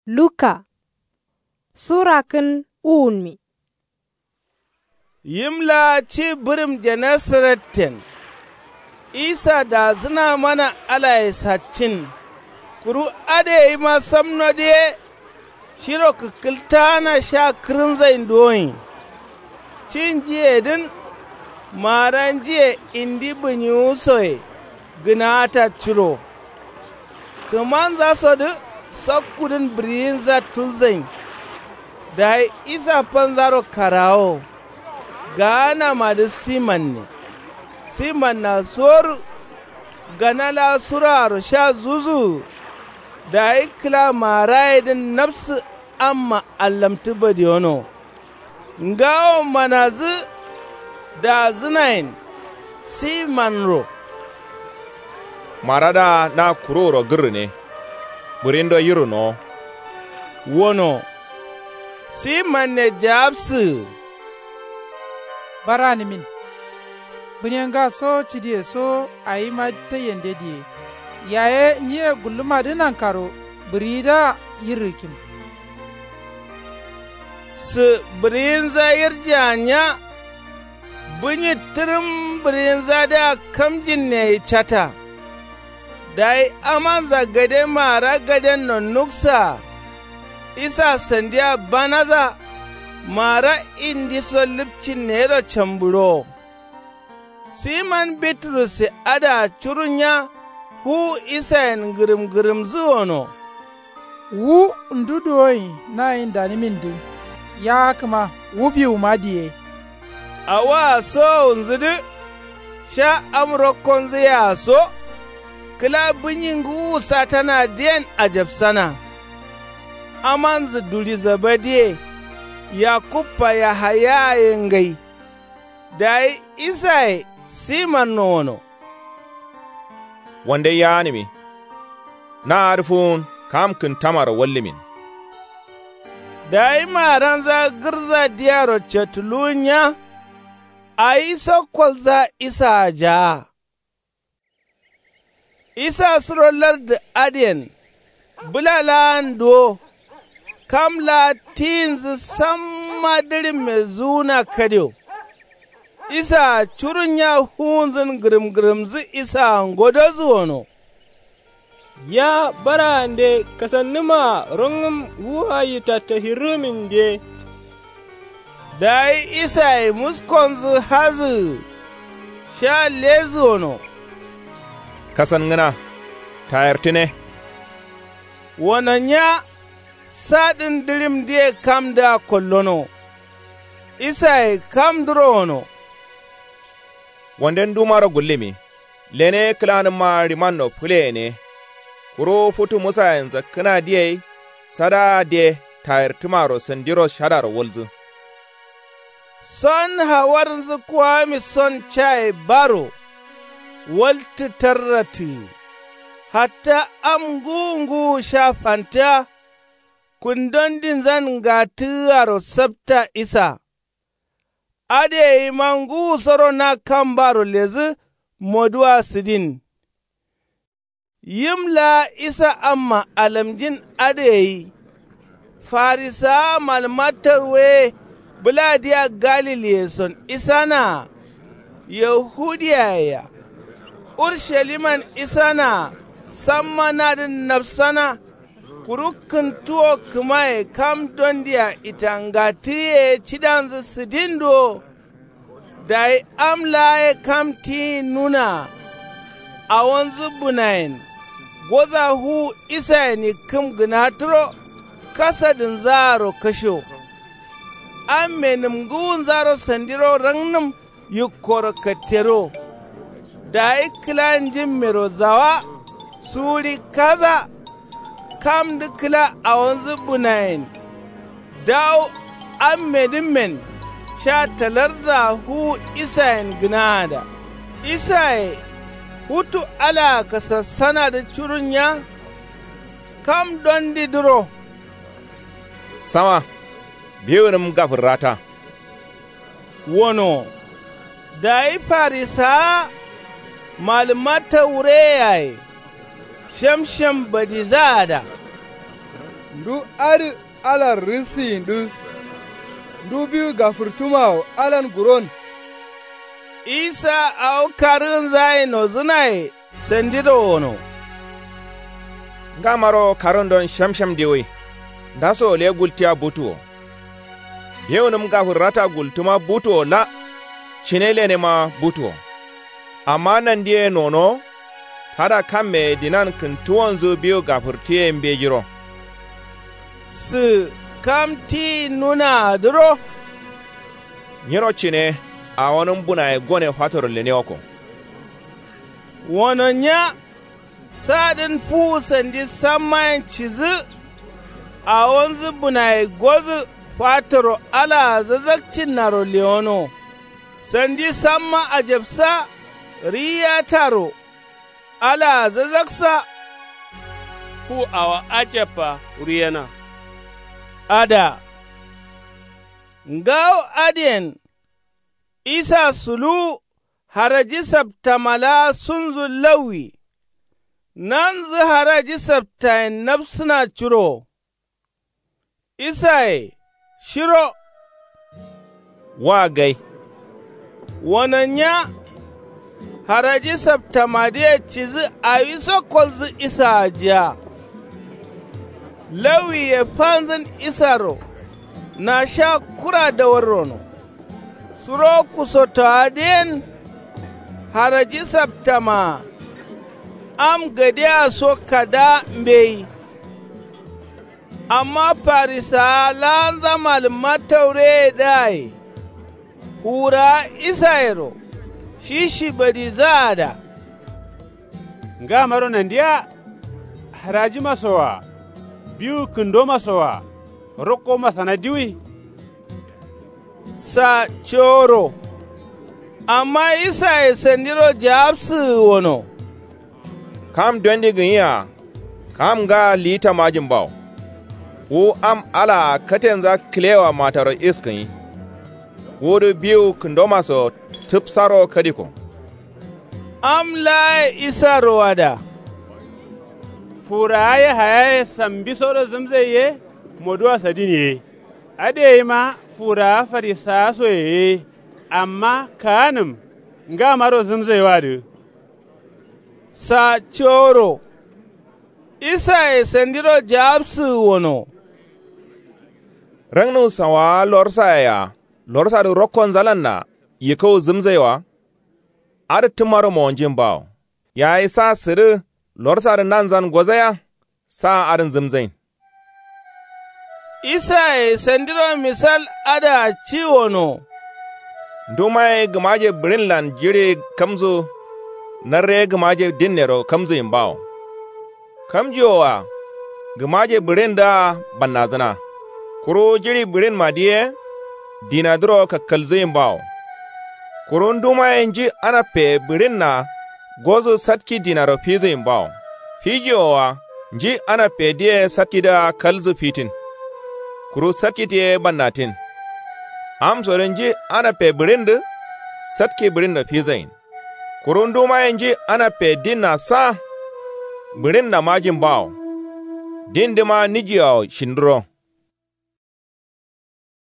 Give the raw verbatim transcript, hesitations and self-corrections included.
Luka. Sura kǝn uwunmi. Yim laa ci bǝrǝm genesareten. Isa daasǝna mana alaye saccin. Kuru adǝ gayima samnodǝ ye. Shiro kǝkkǝltaana sha kǝrǝnzain duwoin. Cinjiyedǝn. Maaranjiye indi bǝnyiwusoye. Gǝnaata curo. Kǝmanzasodǝ sakkudǝn bǝriyinza tulzain. Dayi isa fanzaro karawo. Gaanamadǝ simanne. Simanna soru. Gana laa suraaro sha zuzuwu. Dayi kǝla maarayedǝn nafsǝ amma allamtǝ badiyono. Ngawo manazǝ. Daazǝnayen simanro. Maradǝa na kuruwuro gǝrrǝne. Bǝrindo yirrǝnowo. Wono. Simanne jaabsǝgǝ. Baranǝmin. Bǝnenga so cidiye so awima taiyende diye. Yaye nyiye gullumadǝ nankaro bǝriyidǝa yirrǝkim. Sǝ bǝriyinza yirjea nya. Bǝnyi tǝrǝm bǝriyinzadǝa kamjinneyi cata. Dayi amanza gade maara gadenno nuksaa. Isa sandiya banaza. Maara indiso lǝpcinne yero cambǝrowo. Siman biturusse adǝa curunya. Fuwu isayen ngǝrǝm ngǝrǝmzǝ wono. Wu ndu duwoin nayin danimindǝ. Yaakǝma wu biwuma diye. Awaa sowowunzǝdǝ. Sha am rokkonzǝyea so. Kǝla bǝnyi ngǝwu satanadǝyen ajapsana. Amanzǝ duri zabadiye. Yakubba yahayaya ye ngai. Dayi isaye simanno wono. Wande yaanǝmi. Na adǝ fuwun kam kǝntamaro wallǝmin. Dayi maaranza gǝrza diyaro catuluwunya. Awi so kolza isaa jaa. Isa suro lardǝ adǝyen. Bǝla laan duwo. Kam laa tiyinzǝ samma dǝrimme zuwuna kadio. Isaa curunya fuwunzǝn ngǝrǝm ngǝrǝmzǝ isaa ngodozǝ wono. Nya barande kasannǝmaa rongǝm wu ayi tattahirǝmin diye. Dayi isaye muskonzǝ hazǝgǝ. Sha lezǝ wono. Kasangǝna. Tayartǝne. Wono nya. Sadǝn dǝrimdǝye kamdǝa kollono. Isaye kamdǝro wono. Wande ndumaro gullǝmi. Lene kǝlanǝmma rimanno fǝleyene. Kuru futu musayen zakkǝnadǝ gai. Sadaadǝ ye tayartǝmaro sandiro shadaro walzǝ. Son hawarnzǝ kuwami son caye baro. Waltǝ tarratǝgǝ. Hatta am ngǝwu ngǝwu sha fantǝa. Kundondinzan ngattǝgǝaro sapta isa. Adǝ gaima ngǝwusoro na kambaro ledǝ. Moduwa sǝdin. Yim laa isa amma alamjin adǝ gai. Farisawa malǝmma tawure ye. Bǝladǝa galiliyeson isanaa. Yahudiyaye-a. Ursaliman isanaa. Samma nadǝn nafsana. Kuru kǝntuwo kǝmaye kam dondia itangattǝgǝye cidanzǝ sǝdin duwo. Dayi am laa ye kam tiyin nunaa. Awonzǝ bǝnayen. Goza fuwu isayen yikkǝm gǝnatǝro. Kasadǝnzaaro kasho. Amme nǝmgǝwunzaro sandiro rangnǝm. Yikkoro kattero. Dayi kǝla njimmero zawa. Suwuri kaza. Kamdǝ kǝla awonzǝ bǝnayen. Dawu ammedǝmmen. Sha talarza fuwu isayen gǝnaada. Isaye. Futu alaa kasassanadǝ curunya. Kam dondidǝro. Sama. Biwunǝm gafǝrrata. Wono. Dayi farisawa. Malǝmma tawureyaye. Shemshem badizaada. Ndu adǝ alar rǝsǝyindǝ. Ndu biwu gafǝrtǝmawo alan guron. Isa awo karǝgǝnzaye nozǝnaye sandiro wono. Ngamaro karǝgǝndon shemshem diwui. Ndaso gultiya butuwo. Bewunǝm gafǝrrata gultǝma butuwo la. Cine lenema butuwo. Amma nandiye nonowo. Kada kammeye dinan kǝntuwonzǝ biwu gafǝrtǝye mbejiro. Sǝ kam tiyin nunaa dǝro. Nyiro cine awonǝm bunaye gone fatoro lenewakko. Wono nya. Saadǝn fuwu sandi sammayen cidǝ. Awonzǝ bunaye godǝ fatoro alaa zazakcinnaro lewono. Sandi samma ajabsa. Riyataro. Alaa zazaksa. Ku awo ajabba ruyena. Ada. Ngawo adǝyen. Isa suluwu. Haraji saptama laa sunzǝ lawwi. Nanzǝ haraji saptayen nabsǝna curo. Isaye shiro. Wa gai. Wono nya. Haraji saptamadǝye cidǝ awiso kolzǝ isaa jiya. Lawwiye fanzǝn isaro. Nasha kura dawarrono. Suro kusotowadǝyen. Haraji saptamaa. Am gadiya so kada mbeyi. Amma farisawa laanza malǝmma taureye dǝaye. Fuwurawa isayero. Shi shibadidǝa da. Ngamaro nandiya. Harajima sowa. Biwu kǝndoma sowa. Rokko masana diwui. Sa coro. Amma isaye sandiro jawabsǝgǝ wono. Kam dondi gǝnyi-a. Kam ngaa liyitta majin bawo. Wu am alaa katenza kǝlewa mataro iskǝnyi. Wudǝ biwu kǝndomaso tǝpsaro kadikko. Am laaye isaro ada. Fuwurawa yahayaye sambisoro zǝmzai ye. Moduwa sadin ye. Adǝ yeyima fuwurawa farisawasoye ye. Amma kaanǝm. Ngamaro zǝmzaiwadǝ. Sa coro. Isaye sandiro jawabsǝgǝ wono. Rangnu sawawa lorsaye-a. Lorsadǝ rokkonzalanna yikau zǝmzaiwa. Adǝ tǝmmaro mowonjin bawo. Yayi sa sǝdǝ. Lorsadǝ nanzan gozaiya. Sa adǝn zǝmzain. Isaye sandiro misal adǝa ci wono. Ndumaye gǝmaje bǝɍinlan jiɍi kamzu. Narre gǝmaje dinnero kamzuyin bawo. Kamjiwoa. Gǝmaje bǝɍindǝa bannadzǝna. Kuru jiɍi bǝɍinmadǝ ye. Dinadǝro kakkalzuyin bawo. Kuru ndumaye nji anappeye bǝɍinna. Gozu satki dinaro fizuyin bawo. Fijiwoa. Nji anappeyedǝye satkidǝa kalzu fitin. Kuru satkidǝ ye bannatin. Amsodǝ nji anappeyi bǝɍindǝ. Satki bǝɍinno fizain. Kuru ndumaye nji anappeye dinna sa. Bǝɍinna majin bawo. Dindǝma nijiawo shindǝro.